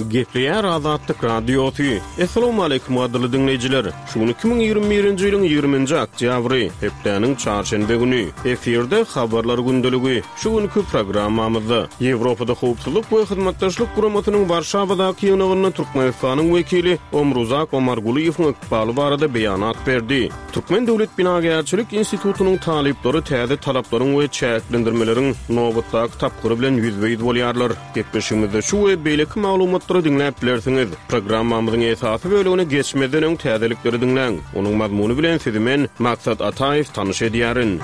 Gepleýär Azatlyk Radiosy. Assalamualaikum gadyrly diňleýjiler. Şu gün 2021-nji ýylyň 20-nji oktýabry, hepdäniň çarşenbe güni. Efirde habarlar gündeligi. Şu günki programmamyzda Ýewropada Howpsuzlyk we Hyzmatdaşlyk Guramasynyň Warşawadaky ýygnagynda Türkmenistanyň wekili Omruzak Omargulyýewiň ykbaly barada beýanat berdi. Türkmen döwlet binagärçilik institutynyň talyplary täze talaplaryň we çäklendirmeleriň nobatdaky tapgyry bilen ýüzbe-ýüz bolýarlar. Gepleşigimizde şu we beýleki maglumatlary diňläp bilersiňiz. Programmamyzyň esasy bölegine geçmezden öň täzelikleri diňläň. Onuň mazmuny bilen sizi men, Maksat Ataýew, tanyş edýärin.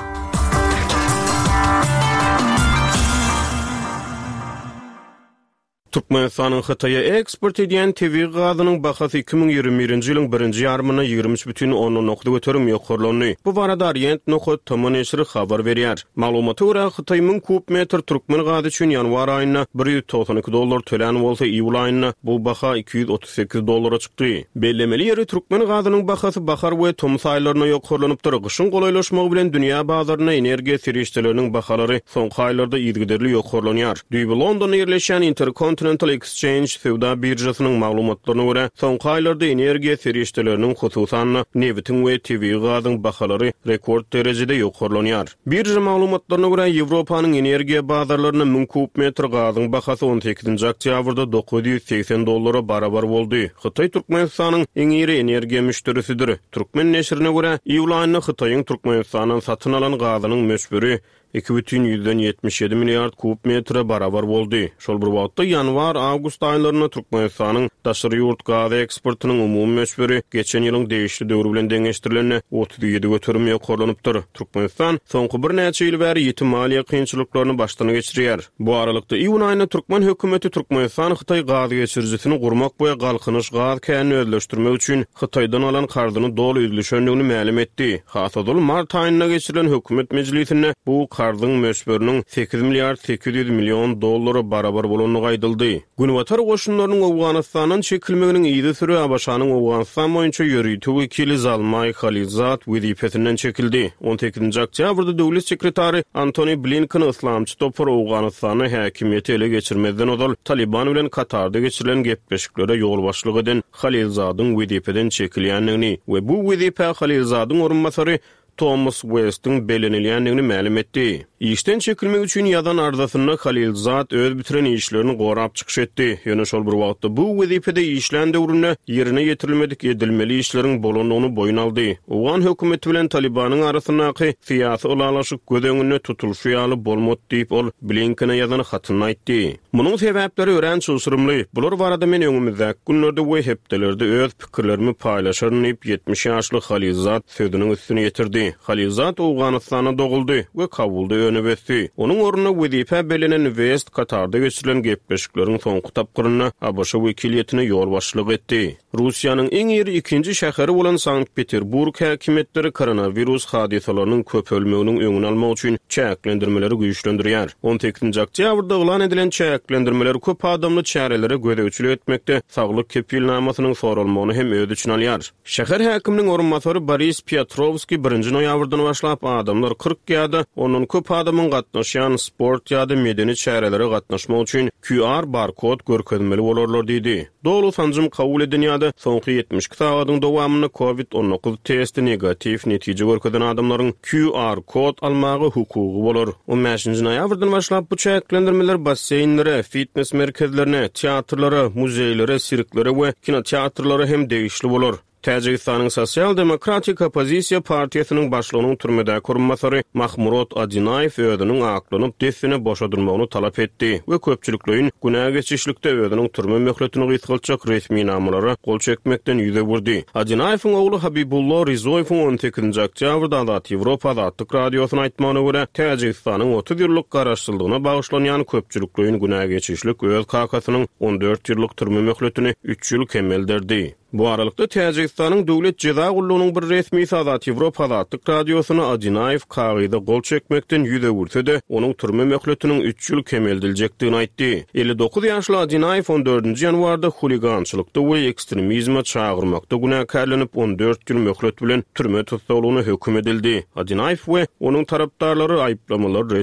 Türkmenistanyň Hytaýa eksport edýän tebigy gazynyň bahasy 2021-nji ýylyň birinji ýarymynda 23,9% ýokarlandy. Bu barada Orient nokat tm neşiri habar berýär. Maglumata görä, Hytaý 1000 kub metr türkmen gazy üçin ýanwar aýynda 192 dollar tölän bolsa, iýul aýynda bu baha 238 dollara çykdy. Bellemeli ýeri, türkmen gazynyň bahasy bahar we tomus aýlarynda ýokarlanypdyr. Gyşyň golaýlaşmagy bilen dünýä bazarynda energiýa serişdeleriniň bahalary soňky aýlarda yzygiderli ýokarlanýar. Düýbi Londonda ýerleşýän Intercontinental Exchange söwda biržasynyň maglumatlaryna görä, soňky aýlarda energiýa serişdeleriniň, hususan-da, nebitiň we tebigy gazyň bahalary rekord derejede ýokarlanýar. Birža maglumatlaryna görä, Ýewropanyň energiýa bazarlarynda 1000 kub metr gazyň bahasy on sekizinji oktýabrda 980 dollara barabar boldy. Hytaý Türkmenistanyň iň iri energiýa müşderisidir. Türkmen neşirine görä, iýul aýynda Hytaýyň Türkmenistandan satyn alan gazynyň möçberi 2,77 milliard kub metre barabar boldy. Şol bir wagtda, ýanwar-awgust aýlarynda Türkmenistanyň daşary ýurt gaz eksportynyň umumy möçberi geçen ýylyň degişli döwri bilen deňeşdirilende 37% ýokarlanypdyr. Türkmenistan soňky birnäçe ýyl bäri ýiti maliýe kynçylyklaryny başdan geçirýär. Bu aralykda, iýun aýynda türkmen hökümeti Türkmenistan-Hytaý gaz geçirijisini gurmak we Galkynyş gaz känini özleşdirmek üçin Hytaýdan alan karzyny doly üzlüşendigini mälim etdi. Has ozal, mart aýynda geçirilen hökümet mejlisinde bu karzyň möçberiniň sekiz milliard 800 million dollara barabar bolandygy aýdyldy. Günbatar goşunlarynyň Owganystandan çekilmeginiň yzysüre ABŞ-nyň Owganystan boýunça ýörite wekili Zalmaý Halilzad wezipesinden çekildi. On sekizinji oktýabrda döwlet sekretary Antony Blinken yslamçy topar Owganystanda häkimiýeti ele geçirmezden ozal Talyban bilen Katarda geçirilen gepleşiklere ýolbaşçylyk eden Halilzadyň wezipeden çekilýändigini we bu wezipä Halilzadyň orunbasary Tomas Uestiň bellenilýändigini mälim etdi. Işden çekilmek üçin ýazan arzasynda Halilzad öz bitiren işlerini gorap çykyş etdi, ýöne şol bir wagtda bu wezipede işlän döwründe ýerine ýetirilmedik edilmeli işleriň bolandygyny boýun aldy. Owgan hökümeti bilen Talybanyň arasyndaky syýasy ylalaşyk göz öňünde tutulyşy ýaly bolmady diýip, ol Blinkene ýazan hatynda aýtdy. Munuň sebäpleri örän çylşyrymly. Bular barada men öňümizdäki günlerde we hepdelerde öz pikirlerimi paýlaşaryn diýip, 70 ýaşly Halilzad sözüniň üstüni ýetirdi. Halilzad Owganystanda doguldy we Kabulda önüp ösdi. Onuň ornuna wezipä bellenen West Katarda geçirilen gepleşikleriň soňky tapgyrynda ABŞ wekiliýetine ýolbaşçylyk etdi. Russiýanyň iň iri ikinji şäheri bolan Sankt-Peterburg häkimiýetleri koronawirus hadysalarynyň köpelmeginiň öňüni almak üçin çäklendirmeleri güýçlendirýär. On sekizinji oktýabrda yglan edilen çäklendirmeler köp adamly çärelere gözegçilik etmekde saglyk kepilnamasynyň soralmagyny hem öz içine alýar. Şäher häkiminiň orunbasary Boris Piotrowskiý birinji noýabrdan başlap adamlar 40 ýa-da ondan köp adamyň gatnaşýan sport ýa-da medeni çärelere gatnaşmak üçin QR barkod görkezmeli bolarlar diýdi. Doly sanjym kabul eden ýa-da soňky 72 sagadyň dowamynda Covid 19 testi negatiw netije görkezen adamlaryň QR kod almaga hukugy bolar. On bäşinji noýabrdan başlap bu çäklendirmeler basseýnlere, fitnes merkezlerine, teatrlara, muzeýlere, sirklere we kinoteatrlara hem degişli bolar. Täjigistanyň Sosial-demokratik oppozisiýa partiýasynyň başlygynyň türmedäki orunbasary Mahmurod Adinaýew özüniň aklanyp, dessine boşadylmagyny talap etdi we köpçülikleýin günä geçişlikde özüniň türme möhletini gysgaltjak resminamalara gol çekmekden ýüz öwürdi. Adinaýewiň ogly Habibullo Rizoýewiň on sekizinji oktýabrda Azat Ýewropa Azatlyk Radiosyna aýtmagyna görä, Täjigistanyň 30 ýyllyk garaşsyzlygyna bagyşlanýan köpçülikleýin günä geçişlik öz kakasynyň 14 ýyllyk türme möhletini üç ýyl kemelderdi. Bu aralykda, Täjigistanyň Döwlet jeza gullugynyň bir resmisi Azat Ýewropa Azatlyk Radiosyna Adinaýew kagyza gol çekmekden ýüz öwürse-de, onuň türme möhletiniň üç ýyl kemeldiljekdigini aýtdy. 59 ýaşly Adinaýew on dördünji ýanwarda huligançylykda we ekstremizme çagyrmakda günäkärlenip, 14 ýyl möhlet bilen türme tussaglygyna höküm edildi. Adinaýew we onuň tarapdarlary aýyplamalary ret.